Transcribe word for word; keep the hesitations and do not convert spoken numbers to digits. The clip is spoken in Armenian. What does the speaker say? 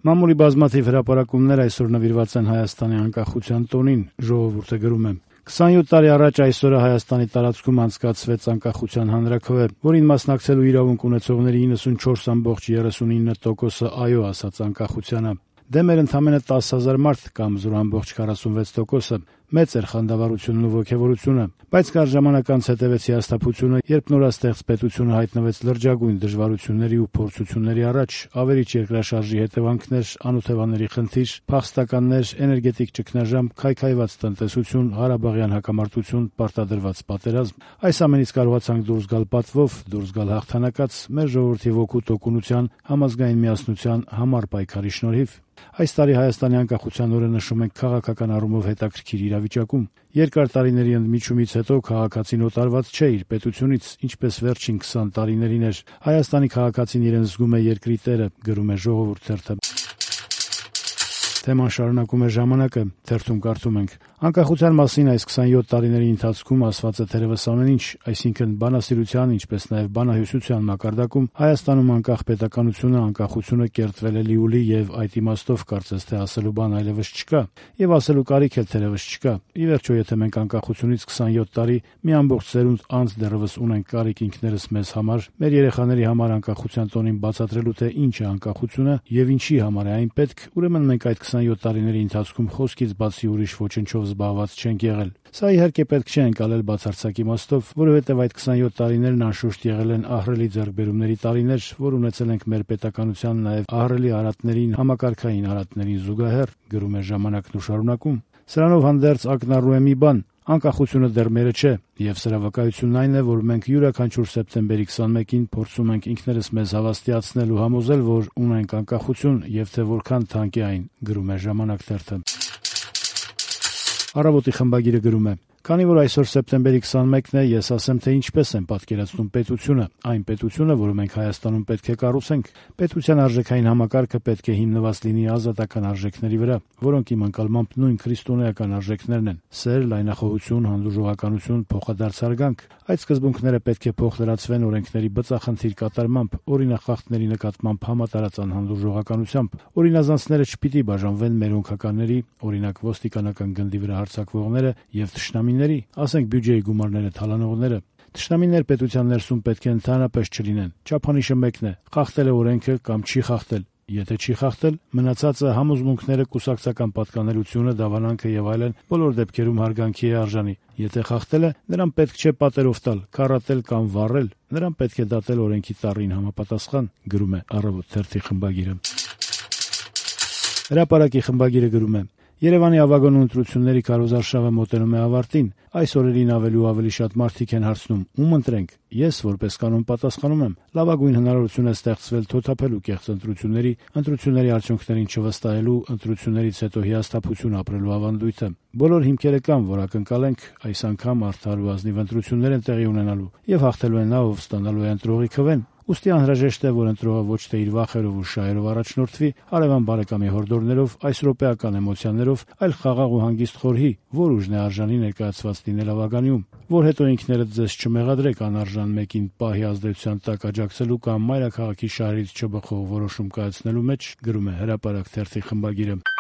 Մամուլի բազմաթիվ հրապարակումներ այսօր նվիրված են Հայաստանի անկախության տոնին, ժողովուրդը գրում է. «քսանյոթ տարի առաջ այսօրը Հայաստանի տարածքում անցկացվեց անկախության հանրաքվե, որին մասնակցելու իրավունք ունեցողների իննսունչորս կόμma երեսունինը տոկոսը այո ասաց անկախությանը։ Դե մեր ընդամենը տասը հազար մարդ կամ զուր կόμma քառասունվեց տոկոսը։ Մեծ էր խանդավառությունն ու ոգևորությունը, բայց կար ժամանակ անց հետևեց հիասթափությունը, երբ նորաստեղծ պետությունը հայտնվեց լրջագույն դժվարությունների ու փորձությունների առաջ, ավերիչ երկրաշարժի հետևանքներ, անօթևանների խնդիր, փախստականներ, էներգետիկ ճգնաժամ, քայքայված տնտեսություն, Ղարաբաղյան հակամարտություն, պարտադրված պատերազմ։ Այս ամենից կարողացանք դուրս գալ պատվով, դուրս գալ հաղթանակած, մեր ժողովրդի ոգու տոկունության, համազգային միասնության համառ պայքարի շնորհիվ։ Այս տարի Հայաստանի անկախության օրը նշում ենք քաղաքական առումով հետաքրքիր իրավիճակում։ Երկար տարիների ընդմիջումից հետո քաղաքացին օտարված չէ իր պետությունից, ինչպես վերջին քսան տարիներին էր։ Հայաստանի քաղաքացին իրեն զգում է երկրի տերը, գրում է Ժողովուրդ թերթը։ Թեման շարունակում է Ժամանակը, թերթում կարդում ենք. «Անկախության մասին այս քսանյոթ տարիների ընթացքում ասված է թերևս ամեն ինչ, այսինքն բանասիրության, ինչպես նաև բանահյուսության մակարդակում Հայաստանում անկախ պետականությունը, անկախությունը կերտվել է լիուլի եւ այդ իմաստով կարծես թե ասելու բան այլևս չկա, եւ ասելու կարիք էլ թերևս չկա։ Ի վերջո, եթե մենք անկախությունից քսանյոթ տարի մի ամբողջ սերունդ անց դեռևս ունենք կարիք ինքներս մեզ համար, մեր երեխաների համար անկախության տոնին բացատրելու, թե ինչ է անկախությունը եւ ինչի համար է այն պետք, ուրեմն մենք այդ քսանյոթ տարիների ընթացքում խոսքից բացի ուրիշ ոչնչով զբաղված չենք եղել։ Սա իհարկե պետք չէ ընկալել բացարձակ իմաստով, որովհետև այդ քսանյոթ տարիներն անշուշտ եղել են ահռելի ձեռքբերումների տարիներ, որ ունեցել ենք մեր պետականության նաև ահռելի արատներին, համակարգային արատներին զուգահեռ, գրում է Ժամանակն ու շարունակում։ Սրանով հանդերձ ակնառու է մի բան. անկախությունը դեռ մերը չէ, եւ սրա վկայությունն այն է, որ մենք յուրաքանչյուր սեպտեմբերի քսանմեկին փորձում ենք ինքներս մեզ հավաստիացնել ու համոզել, որ ունենք անկախություն եւ թե որքան թանկ է այն, գրում է Ժամանակ թերթը։ Առավոտի խմբագիրը գրում է. «Քանի որ այսօր սեպտեմբերի քսանմեկն է, ես ասեմ, թե ինչպես եմ պատկերացնում պետությունը, այն պետությունը, որը մենք Հայաստանում պետք է կառուցենք։ Պետության արժեքային համակարգը պետք է հիմնված լինի ազատական արժեքների վրա, որոնք իմ ընկալմամբ նույն քրիստոնեական արժեքներն են՝ սեր, լայնախոհություն, հանդուրժողականություն, փոխադարձ հարգանք։ Այդ սկզբունքները պետք է փոխլրացվեն օրենքների բծախնդիր կատարմամբ, օրինախախտների նկատմամբ համատարած անհանդուրժողականությամբ։ Օրինազանցները չպիտի բաժանվեն մերոնքականների, օրինակ ոստիկանական գնդի վրա հարձակվողները եւ թշնամիների, ասենք բյուջեի գումարները թալանողները։ Թշնամիներ պետության ներսում պետք է ընդհանրապես չլինեն։ Չափանիշը մեկն է՝ խախտել է օրենքը կամ չի խախտել։ Եթե չի խախտել, մնացածը համոզմունքները, կուսակցական պատկանելությունը, դավանանքը եւ այլն բոլոր դեպքերում հարգանքի է արժանի։ Եթե խախտել է, նրան պետք չէ պատերով տալ, քառատել կամ վառել, նրան պետք է դատել օրենքի ծառին համապատասխան», գրում է Առավոտ թերթի խմբագիրը։ Հրապարակի խմբագիրը գրում է. «Երևանի ավագանու ընտրությունների քարոզարշավը մոտենում է ավարտին։ Այս օրերին ավելի ու ավելի շատ մարդիկ են հարցնում՝ ում ընտրենք։ Ես, որպես կանոն, պատասխանում եմ՝ լավագույն հնարավորություն է ստեղծվել թոթափելու կեղծ ընտրությունների, ընտրությունների արդյունքներին չվստահելու, ընտրություններից հետո հիասթափություն ապրելու ավանդույթը։ Բոլոր հիմքերը կան, որ ակնկալենք այս անգամ արդար ու ազնիվ ընտրություններ են տեղի ունենալու, եւ հաղթելու է նա, ով ստանալու է ընտրողի քվեն։ Ուստի անհրաժեշտ է, որ ընտրողը ոչ թե իր վախերով ու շահերով առաջնորդվի, հարևան բարեկամի հորդորներով, այս րոպեական էմոցիաներով, այլ խաղաղ ու հանգիստ խորհի, որ ուժն է արժանի ներկայացված լինել ավագանիում, որ հետո ինքներդ ձեզ չմեղադրեք անարժան մեկին պահի ազդեցության տակ աջակցելու կամ մայրաքաղաքի շահերից չբխող որոշում կայացնելու մեջ», գրում է Հրապարակ թերթի խմբագիրը։